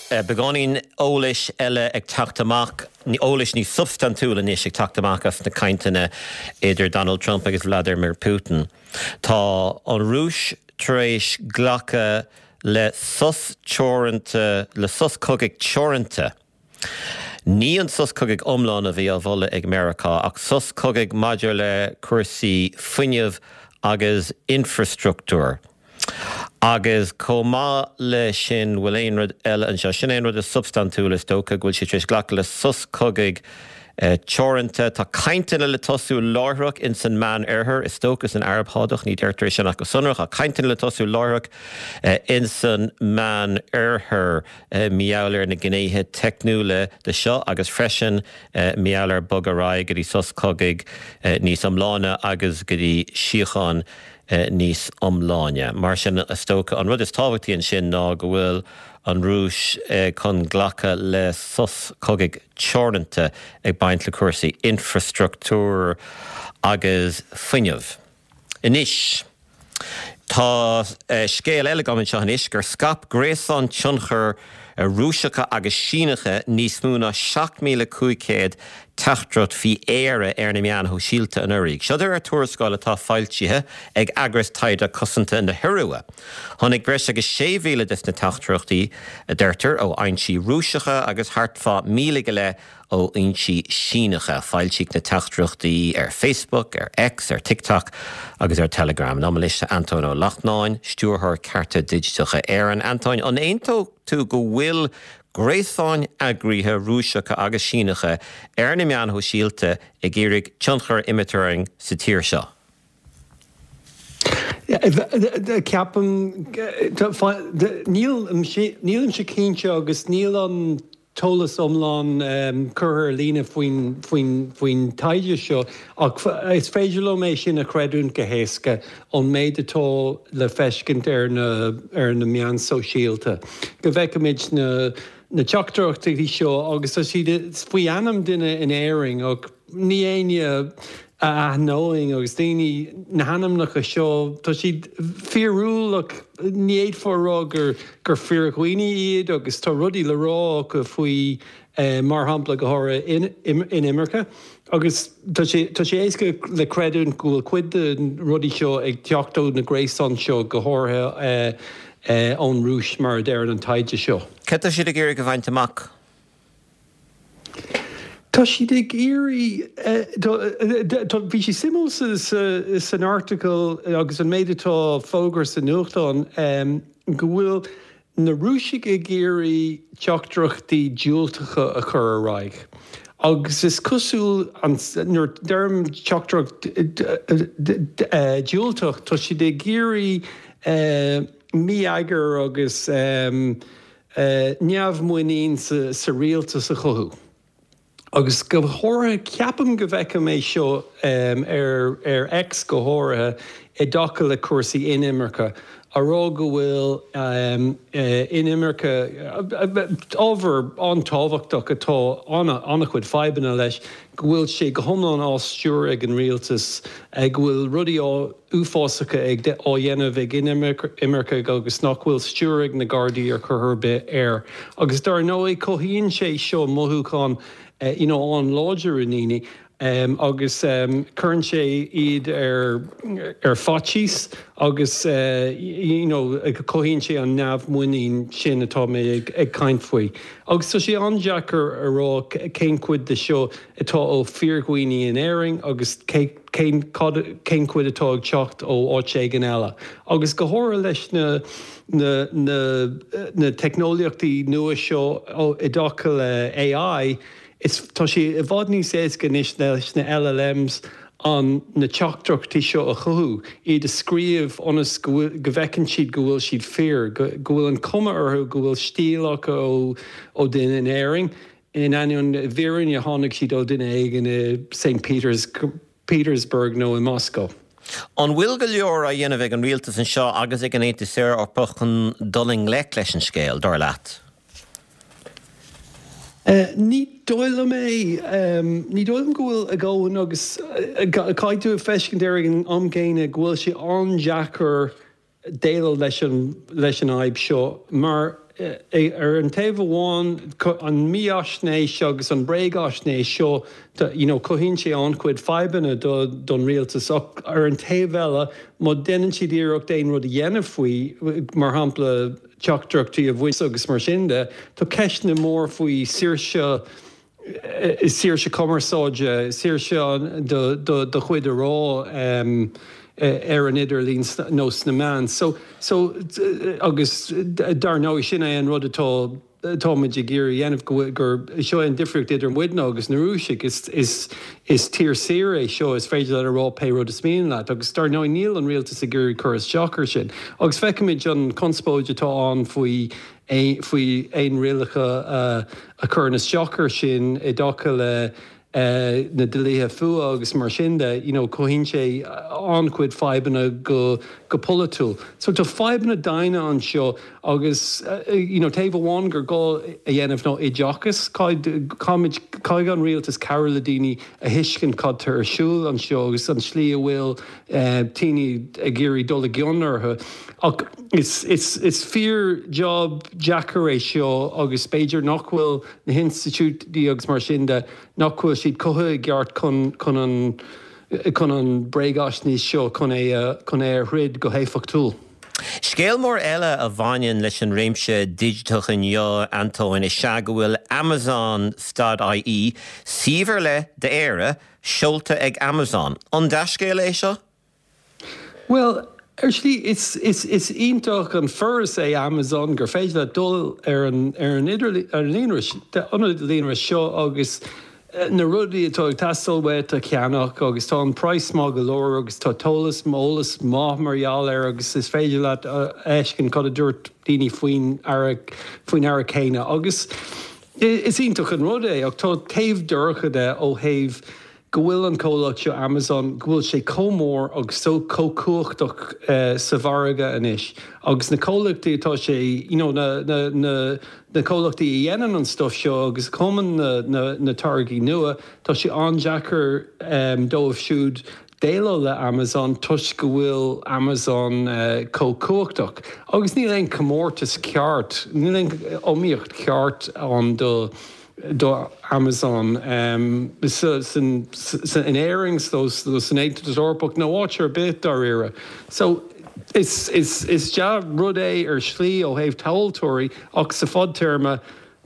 S1: Beagáinín eolais eile ag teacht amach, eolais níos substaintiúla anois ag teacht amach as na cainteanna idir Donald Trump agus Vladimir Putin. Tá an Rúis tar éis glacadh le sos teoranta, le sos cogaidh teoranta. Ní an sos cogaidh iomlán a bhí á mholadh ag Meiriceá, ach sos cogaidh maidir le cúrsaí fuinnimh agus infreastruchtúir. Agus chomh maith le sin, bhfuil aon rud eile anseo? Sin é an rud is substaintiúla, is dócha, go bhfuil siad tar éis glacadh le sos cogaidh teoranta. Tá cainteanna le tosú láithreach ins an Meán-Oirthear, is dócha san Araib Shádach, ní deirtear é sin ach go sonrach, ach cainteanna le tosú láithreach ins an Meán-Oirthear. Mar gheall ar na gnéithe teicniúla de seo agus freisin mar gheall ar bogadh ar aghaidh go dtí sos cogaidh níos iomláine agus go dtí síocháin níos iomláine. Mar sin, is dócha, an rud is tábhachtaí ansin ná go bhfuil an Rúis chun glacadh le sos cogaidh teoranta ag baint le cúrsaí infreastruchtúir agus fuinnimh. Anois. Tá scéal eile agam anseo anois gur scaip gréasáin tionchair Rúiseacha agus Síneacha níos mó ná 7,500 teachtaireacht faoi Éire ar na meáin shóisialta anuraidh. Seo de réir tuarascáil atá foilsithe ag eagras taighde cosanta na hIorua. Tháinig breis agus 6,000 des na teachtaireachtaí, a deirtear, ó fhoinsí Rúiseacha agus thart fá 1,000 go leith ó fhoinsí Síneacha. Foilsíodh na teachtaireachtaí ar Facebook, ar X, ar TikTok agus ar Telegram. Liom anois tá Antóin Ó Lachtnáin, Stiúrthóir Cearta Digiteacha Éireann. Antóin, an aontódh tú go bhfuil gréasáin eagraithe Rúiseacha agus Síneacha ar na meáin shóisialta ag iarraidh tionchar a imirt orainn sa tír seo?
S5: Ceapaim, nílimse cinnte agus níl an t-eolas iomlán curtha ar líne faoin taighde seo ach is féidir liom é sin a chreidiúint go héasca ón méid atá le feiscint ar na meáin sóisialta. Go bhfeicimid na teachtaireachtaí seo agus tá siad faoi ainm duine in Éirinn ach ní éinne a aithneoinn agus daoine, na hainmneacha seo, tá siad fíorúil ach ní fhéadfá a rá gur gur fíordhaoine iad agus tá rudaí le rá acu faoi, mar shampla, go háirithe inimirce agus tá sé tá sé éasca le creidiúint go bhfuil cuid de na rudaí seo ag teacht ó na gréasáin seo, go háirithe ón Rúis mar a deireann an taighde seo.
S1: Cad tá siad ag iarraidh a bhaint amach?
S5: Tá siad ag iarraidh, bhí sé suimiúil san article agus an méid atá fógartha sa nuachtán go bhfuil na Rúisigh ag iarraidh teachtaireachtaí diúltacha a chur ar aghaidh agus is cosúil nuair a deirim teachtaireacht diúltach tá siad ag iarraidh mí-eagar agus neamhmhuinín sa rialtas a chothú. Agus go háirithe, ceapaim go bhfeicim é seo ar X go háirithe i dtaca le cúrsaí inimirce, a rá go bhfuil inimirce, ábhar an-tábhachtach atá an-chuid fadhbanna leis, go bhfuil sé go hiomlán á stiúradh ag an rialtas, go bhfuil rudaí á. uafásacha ag á dhéanamh ag inimircigh agus nach bhfuil stiúir ag na Gardaí ar chor ar bith air. Agus dar ndóigh cothaíonn sé seo mothúchán you know an-láidir i ndaoine agus cuireann sé iad ar ar faitíos agus you know cothaíonn sé an neamhmhuinín sin atá mé ag ag caint faoi. Agus tá sé an-deacair a rá cén chuid de seo atá ó fíordhaoine in Éirinn agus cé cén cad cén chuid atá ag teacht ó áit éigin eile. Agus go háirithe leis na na na na teicneolaíochtaí nua seo i dtaca le AI, is tá sé i bhfad níos éasca anois leis na LLMs an na teachtaireachtaí seo a chothú, iad a scríobh ionas go bhfuil go bhfeiceann siad go bhfuil siad fíor, go go bhfuil an cuma orthu go bhfuil stíl acu ó ó duine in Éirinn. In ainneoin i bhfírinne tháinig siad ó duine éigin i St. Petersburg nó i Moscow.
S1: An bhfuil go leor á dhéanamh ag an rialtas anseo agus ag an Aontas Eorpach chun dul i ngleic leis an scéal, dar leat?
S5: Ní dóigh liom é. Ní dóigh liom go bhfuil a dhóthain agus caithfidh tú a feiscint ar ag an am gcéanna go bhfuil sé an-deacair déileáil leis an leis an fhadhb seo mar ar an taobh amháin an mífhaisnéis agus an bréagaisnéis seo you know cothaíonn sé an-chuid fadhbanna do don rialtas ach ar an taobh eile má deineann siad iarracht aon rud a dhéanamh faoi mar shampla teachtaireachtaí a bhaint agus mar sin de tá ceisteanna mór faoi saoirse saoirse cumarsáide, saoirse do chuid a rá ar an idirlíon nó sna meáin. So, so, agus dar ndóigh sin é an rud atá, atá muid ag iarraidh a dhéanamh, go, gur, seo é an difríocht idir muidne agus na Rúisigh, is, is, is tír saor é seo, is féidir leat a rá pé rud is mian leat agus dar ndóigh níl an rialtas ag iarraidh cur isteach ar sin. Agus feicimid an conspóid atá ann faoi faoi aon rialacha a chuireann isteach air sin i dtaca le. Na dlíthe fuatha agus mar sin de, you know, cothaíonn sé an-chuid fadhbanna go go polaitiúil. So tá fadhbanna daonna anseo agus, you know, taobh amháin gur gá a dhéanamh ná oideachas, caithfidh, caithfimid, caithfidh an rialtas cabhrú le daoine a thuiscint cad tá ar siúl anseo agus an tslí a bhfuil daoine ag iarraidh dul i gcion orthu. Ach is, is, is fíor job deacair é seo agus b'fhéidir nach bhfuil na hinstitiúidí agus mar sin de, nach bhfuil siad cothaithe i gceart chun, chun an, chun an bréagaisnéis seo, chun é a, chun é a throid go héifeachtúil.
S1: Scéal mór eile a bhaineann leis an réimse digiteach inniu, Antóin, is ea go bhfuil Amazon stad IE, suíomh ar leith d'Éire, seolta ag Amazon. An dea-scéala é seo?
S5: Bhuel, ar shlí, is, is, is iontach an foras é Amazon gur féidir leat dul ar an, ar an idirlíon, ar an líonra, ionad líonra seo agus na rudaí atá ag teastáil uait a cheannach agus tá an praghas maith go leor agus tá t-eolas, eolas maith mar gheall air agus is féidir leat a fheiscint cad a dúirt daoine faoin earra, faoin earra céanna agus is iontach an rud é ach tá taobh dorcha de ó thaobh go bhfuil an comhlacht seo Amazon, go bhfuil sé chomh mór agus chomh cumhachtach sa mhargadh anois agus na comhlachtaí atá sé, you know, na, na, na, na comhlachtaí a dhéanann an stuff seo agus a chumann na, na, na táirgí nua, tá sé an-deacair dóibh siúd déileáil le Amazon toisc go bhfuil Amazon chomh cumhachtach. Agus níl aon chomórtas ceart, níl aon iomaíocht cheart ann do, do Amazon in Éirinn nó san Aontas Eorpach nó áit ar bith dáiríre. So is dea-rud é ar shlí ó thaobh tomhaltóirí ach sa fadtéarma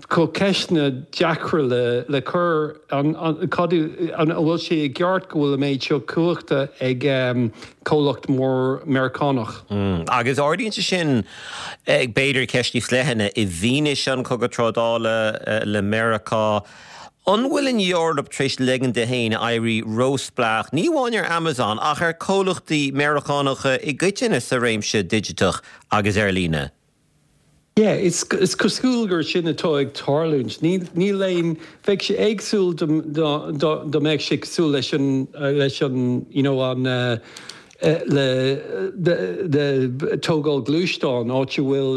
S5: tá ceisteanna deacra le cur, an bhfuil sé i gceart go bhfuil an méid seo cumhachta ag comhlacht mór Meiriceánach?
S1: Agus ardaíonn sé sin B'fhéidir ceist níos leithne, i bhfianaise an chogadh trádála le Meiriceá, an bhfuil an Eoraip tar éis ligean di féin éirí róspleách, ní amháin ar Amazon, ach ar comhlachtaí Meiriceánacha i gcoitinne sa réimse digiteach agus ar líne?
S5: Yeah, is cosúil gur sin atá ag tarlúint. Níl aon, bheadh sé éagsúil dá mbeadh sé cosúil leis an, leis an, you know, an, le tógáil gluaisteán, áit a bhfuil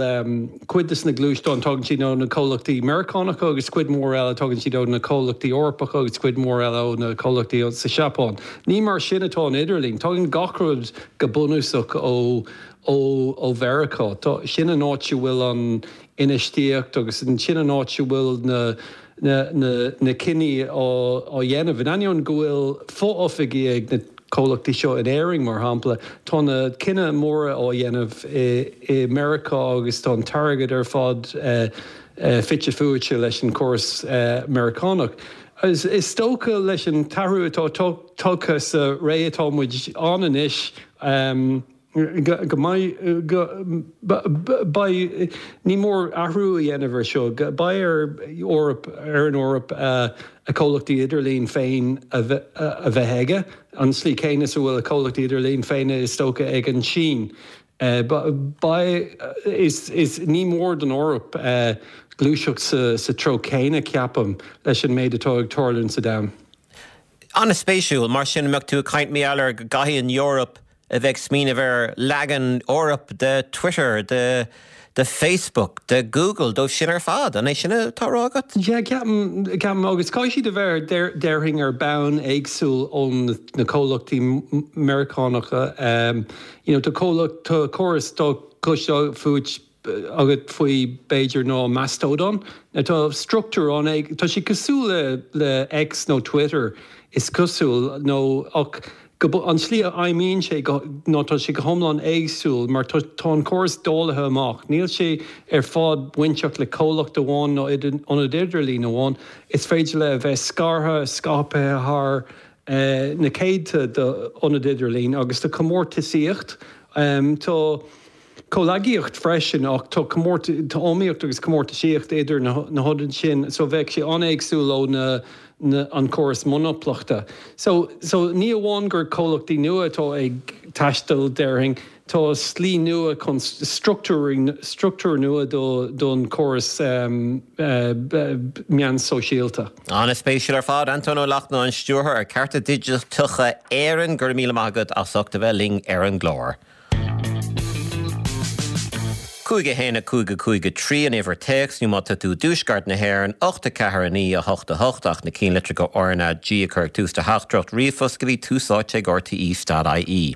S5: cuid de na gluaisteáin, tagann siad ó na comhlachtaí Meiriceánacha agus cuid mhór eile tagann siad ó na comhlachtaí Eorpacha agus cuid mhór eile ó na comhlachtaí sa Seapáin. Ní mar sin atá an idirlíon. Tagann gach rud go bunúsach ó ó Mheiriceá. Tá, sin an áit a bhfuil an infheistíocht agus sin an áit a bhfuil na na cinní á dhéanamh. In ainneoin go bhfuil fo-oifigí ag na comhlachtaí seo in Éirinn, mar shampla, tá na cinntí móra á dhéanamh i Meiriceá agus tá an t-airgead ar fad fite fuaite leis an gcóras Meiriceánach. Is dócha leis an t-athrú atá tagtha sa ré atá muid ann anois, go mbeidh, go, beidh, ní mór athrú a dhéanamh ar seo, beidh ar Eoraip, ar an Eoraip a comhlachtaí idirlín féin a bheith aige, an tslí chéanna is a bhfuil a comhlachtaí idirlín féin is dócha ag an tSín. Beidh, is, is, ní mór don Eoraip gluaiseacht sa, sa treo céanna, ceapaim, leis an méid atá ag tarlúint sa domhan.
S1: An-spéisiúil, mar sin, an mbeadh tú ag caint mar gheall ar go gcaithfidh an Eoraip a bheith ag smaoineamh ar leagan Eoraip de Twitter, de de Facebook, de Google, dóibh sin ar fad. An é sin atá á rá agat?
S5: Yeah, ceapaim, ceapaim, agus caithfidh siad a bheith, déarfainn, ar bonn éagsúil ó na comhlachtaí Meiriceánacha. You know, tá comhlacht, tá córas, tá cloiste fút, agat faoi b'fhéidir ná Mastodon. Tá struchtúr ann, tá sé cosúil le le X nó Twitter is cosúil nó ach go an tslí a fheidhmíonn sé go ná tá sé go hiomlán éagsúil mar tá tá an córas dáilithe amach. Níl sé ar fad bainteach le comhlacht amháin nó ionad idirlín amháin. Is féidir le a bheith scartha, scaipthe thar na céadta d'ionaid idirlín agus tá comórtasaíocht. Tá. Comhghleacaíocht freisin ach tá tá iomaíocht agus comórtasaíocht idir na hionaid sin so bheadh sé an-éagsúil ó na na an córas monaplachta. So so ní amháin gur comhlachtaí nua atá ag taisteal déarfainn. Tá slí nua chun struchtúr, struchtúr nua don chóras meán sóisialta.
S1: An-spéisiúil ar fad. Antóin Ó Lachtnáin, Stiúrthóir ar Cearta Digiteacha Éireann, go raibh míle maith agat as ucht a bheith linn ar an gclár. 5 1 5 5 3 an uimhir téacs nó má tá tú i dtuaisceart na hÉireann, 8 4 9 8 8 ach na cinnlitreacha RnaG a chur ag tús do theachtaireacht ríomhphost go dtí Tús Áite ag rte.ie.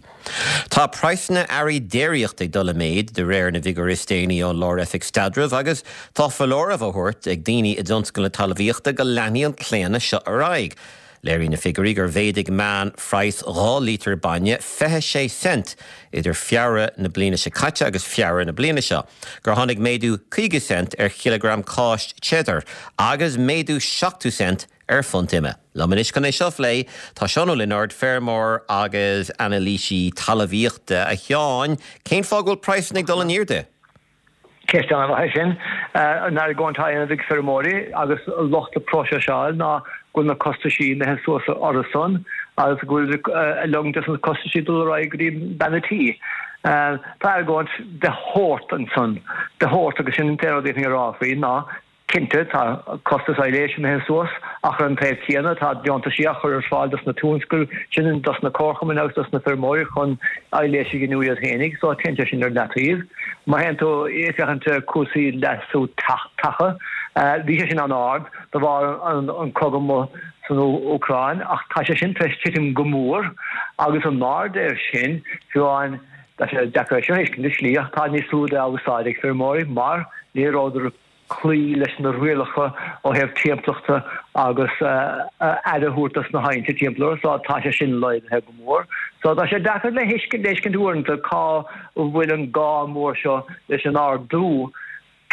S1: Tá praghsanna earraí déiríochta ag dul i méid de réir na bhfigiúirí is déanaí ón Lár-Oifig Staidrimh agus tá foláireamh á thabhairt ag daoine i dtionscal na talmhaíochta go leanfaidh an claonadh seo ar aghaidh. Léiríonn na figiúirí gur mhéadaigh meánphraghas 2 lítear bainne 26 cent idir Feabhra na bliana seo caite agus Feabhra na bliana seo, gur tháinig méadú 50 cent ar chileagram cáis cheddar agus méadú 70 cent ar phunt ime. Liom anois chun é seo a phlé tá Seán Ó Lionáird, feirmeoir agus anailísí talmhaíochta. A Sheáin, cén fáth go bhfuil praghsanna ag dul in airde?
S6: Ceist an-mhaith é sin. An argóint atá á dhéanamh ag feirmeoirí agus lucht na próiseála ná go bhfuil na costaisí imithe suas orthu san agus go bhfuil ag ligean dos na costaisí dul ar aghaidh go dtí bean a' tí. Tá argóint de shórt ansan, de shórt agus sin an t-aon rud a d'fhéadfainn a rá faoi ná Cinnte, tá costas aibhléise imithe suas, ach ar an taobh céanna, tá deontaisí á chur ar fáil dos na tionscail sin, dos na comharchumainn agus dos na feirmeoirí chun aibhléis a ghiniúint iad fhéinig, so téann sé sin ar leataobh. Má théann tú ag féachaint ar cúrsaí leasú taca, bhí sé sin an-ard de bharr an cogadh amuigh san Úcráin, ach tá sé sin tar éis titim go mór agus in airde air sin, fiú amháin, tá sé deacair é seo a thuiscint i slí, ach tá níos lú de á úsáid ag feirmeoirí mar ní rabhadar cloí leis na rialacha ó thaobh timpeallachta agus aire a thabhairt dos na haillte timpeall orthu so tá sé sin laghdaithe go mór. So tá sé deacair le thuiscint uaireanta cá bhfuil an gá mór seo leis an ardú.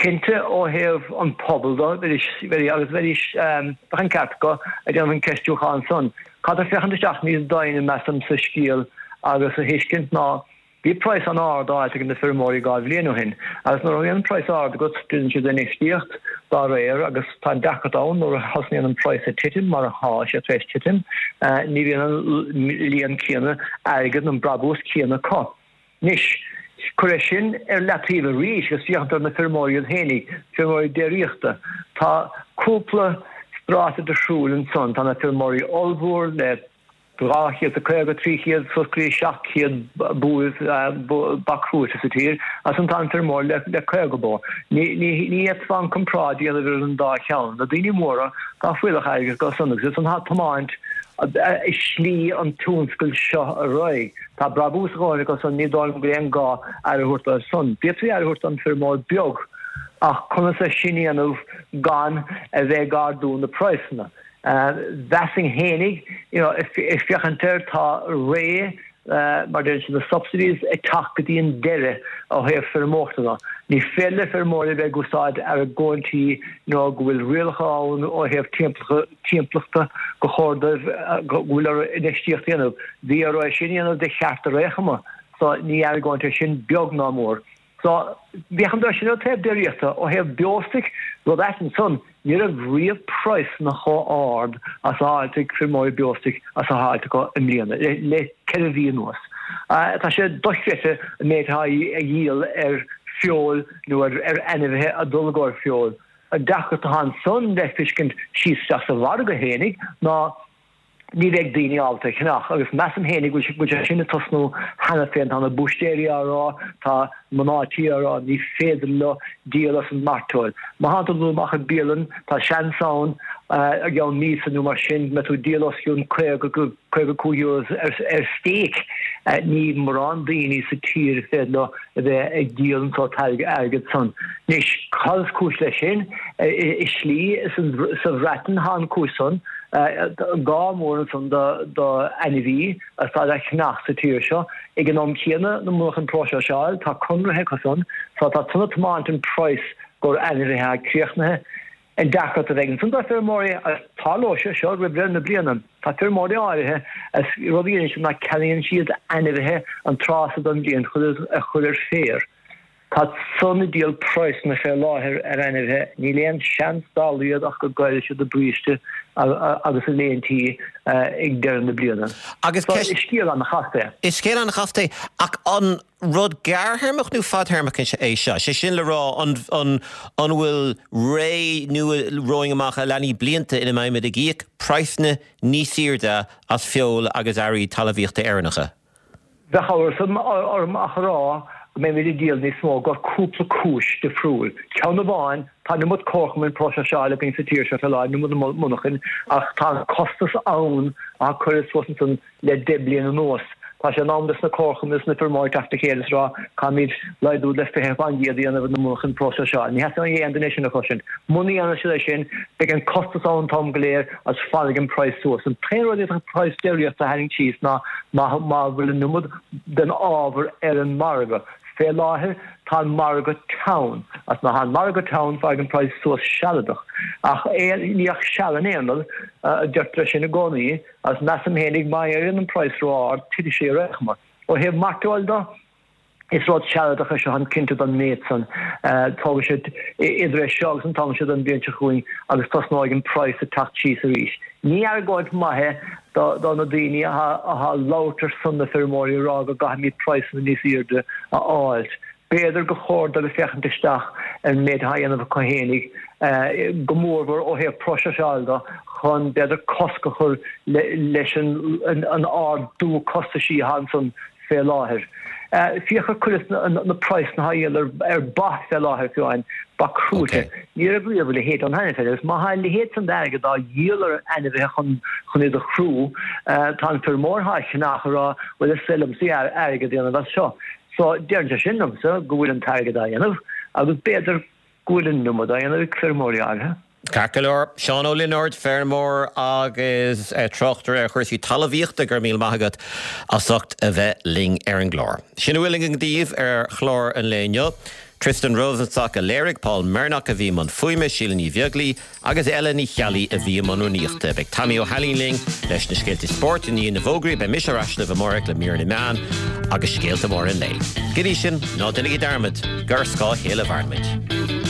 S6: Cinnte ó thaobh an pobal do, bheidís, agus bheidís, bheadh an ceart acu ag déanamh an ceistiúchán san. Caithfear féachaint isteach níos doimhne measaim sa scéal agus a thuiscint ná Bhí praghas an-ard á fháilt ag na feirmeoirí 2 bhliain ó shin agus nuair a bhíonn praghas ard agat déanann siad infheistíocht dá réir agus tá an deacracht ann nuair a thosnaíonn an praghas ag titim mar atá sé tar éis titim ní bhíonn an líon céanna airgid nó an brabús céanna acu. Anois, cuir é sin ar leataobh arís agus féachaint ar na feirmeoirí iad féinig, feirmeoirí déiríochta. Tá cúpla stráta difriúil ansan, tá na feirmeoirí ollmhór le 250, 300, suas go dtí 700 buaibh, ba crúite sa tír, ansan tá an feirmeoir le 50 bó. Ní fhéadfá an comparáid a dhéanamh idir an dá cheann. Na daoine móra, tá fuíollach airgid acu san agus iad san atá ag tiomáint slí an tionscail seo ar aghaidh. Tá brabús a dhóthain acu san, ní dóigh liom go bhfuil aon gá aire a thabhairt dóibh san. D'fhéadfaí aire a thabhairt don feirmeoir beag ach conas é sin a dhéanamh gan a bheith ag ardú na praghsanna? Mheasfainn fhéinig, you know, ag féachaint air, tá ré, mar a deireann siad, na subsidies ag teacht go dtí an deireadh ó thaobh feirmeoireachta de. Ní féidir le feirmeoirí a bheith ag úsáid argóintí you know, go bhfuil rialacha ann ó thaobh timpeallachta gur chóir dóibh, go bhfuil orthu infheistíocht a dhéanamh. Bhí orthu é sin a dhéanamh de cheart ar aon chuma, so ní argóint é sin beag ná mór. So, féachaint air sin ó taobh déiríochta, ó thaobh beostoic, rud ait ansan, ní raibh riamh praghsanna chomh ard as atá á fháilt ag feirmeoirí beostoic as atá á fháilt acu i mbliana, le 4 mhí anuas. Tá sé dochreidte an méid atá á dhíol ar feoil nó ar ainmhithe ag dul i gcomhair feoil. An deacracht atá ansan le feiscint síos isteach sa mhargadh fhéinig ná, ní bheidh daoine ábalta a cheannach agus measaim féinig go bhfuil sé sin ag tosnú cheana féin. Tá na búistéirí á rá, tá mná tí á rá, ní féidir leo díol as an mairteoil. Má thánn tú ag dul amach i bialann, tá seans ann i gceann míosa nó mar sin go mbeidh tú ag díol os cionn 50 go €55 ar stéic. Ní mórán daoine sa tír is féidir leo a bheith ag díol an sórt airgead san. Anois, cad is cúis leis sin? I slí, sa Bhreatain tá an cúis san. Gá mór ansan do ainmhí atá le ceannach sa tír seo. Ag an am céanna, na murach an próiseáil, tá conraithe acu san, so tá san ag tiomáint an praghas gur ainmhithe atá críochnaithe. An deacracht a bheidh ansan do feirmeoirí, agus tarlóidh sé seo roimh dheireadh na bliana, tá feirmeoirí áirithe, is rud a dhéanann siad ná ceannaíonn siad ainmhithe an tráth so den bhliain chun iad a chur ar féar. Tá san ag díol praghsanna fé láthair ar ainmhithe, níl aon seans dá laghad ach go gcaillfidh siad a bríste agus a léintí ag deireadh na bliana.
S1: Agus
S6: So, is scéal an-chasta
S1: é. Is scéal an-chasta é, ach an rud gearrthéarmach nó fadtéarmach é seo? Sé sin le rá, an an bhfuil ré nua romhainn amach a leanfaidh blianta ina mbeimid ag íoc praghsanna níos airde as feoil agus earraí talmhaíochta Éireannacha?
S6: Bheadh amhras orm ach a rá go mbeimid ag díol níos mó gur cúpla cúis difriúil. Ceann amháin, tá an iomad comharchumainn próiseála againn sa tír seo fé láthair, an iomad monarchain, ach tá an costas ann atá curtha suas ansan le 10 bliain anuas. Tá sé in am dos na comharchumainn is na feirmeoirí teacht le chéile is rá caithfimid laghdú le 20% a dhéanamh ar na monarchain próiseála. Ní theastaíonn ó aon duine é sin a chloisint. Muna dhéanann siad é sin, beidh an costas ann an t-am go léir agus fanfaidh an praghas suas. An t-aon rud a d'fhéadfadh praghas déiríochta a tharraingt síos ná má bhfuil an iomad den ábhar ar an margadh. Fé láthair tá an margadh teann, agus má tá an margadh teann fanfaidh an praghas suas sealadach. Ach ní ach seal an aon rud, a deirtear é sin i gcónaí, agus measaim fhéinig má éiríonn an praghas ró-ard titfidh sé ar aon chuma. Ó thaobh mairteoil de, Is rud sealadach é seo, táim cinnte don méid san. Tógfaidh sé idir é seo agus an t-am seo den bhliain seo chugainn agus tosnóidh an praghas ag teacht síos arís. Ní argóint maith é do na daoine atá ag labhairt ar son na feirmeoirí ag rá go gcaithfimid praghsanna níos airde a fháilt. B'fhéidir gur chóir dóibh féachaint isteach ar an méid atá á dhéanamh acu fhéinig, go mórmhór ó thaobh próiseáil de, chun b'fhéidir cosc a chur leis an ardú costaisí atá ansan fé láthair. Féach ar cuid de na praghsanna atá á dhíol ar ba fé láthair fiú amháin, ba crúite. Ní raibh riamh a leithéid ann cheana féin agus má tá a leithéid san d'airgead á dhíol ar ainmhithe chun chun iad a chrú, tá an feirmeoir atá á cheannach ag rá bhuel is féidir liomsa airgead a dhéanamh as seo. So deireann sé sin liomsa go bhfuil an t-airgead á dhéanamh agus b'fhéidir go bhfuil an iomad á dhéanamh ag feirmeoirí áirithe.
S1: Ceart go leor. Seán Ó Lionáird, feirmeoir agus tráchtaire ar chúrsaí talmhaíochta, go raibh míle maith agat as ucht a bheith linn ar an gclár. Sin a bhfuil againn daoibh ar chlár an lae inniu. Tristan Rosenstock a léirigh, Paul Mernock a bhí i mbun fuaime, Síle Ní Bheaglaoi agus Ella Ní Cheallaigh a bhí i mbun rúnaíochta. Beidh Tommy Ó hAilín linn leis na scéalta spóirt i ndiaidh na bhfógraí. Beidh mise ar ais libh amárach le mír na meán agus scéalta móra an lae. Go dtí sin, ná déanaigí dearmad gur ar scáth a chéile a mhaireann muid.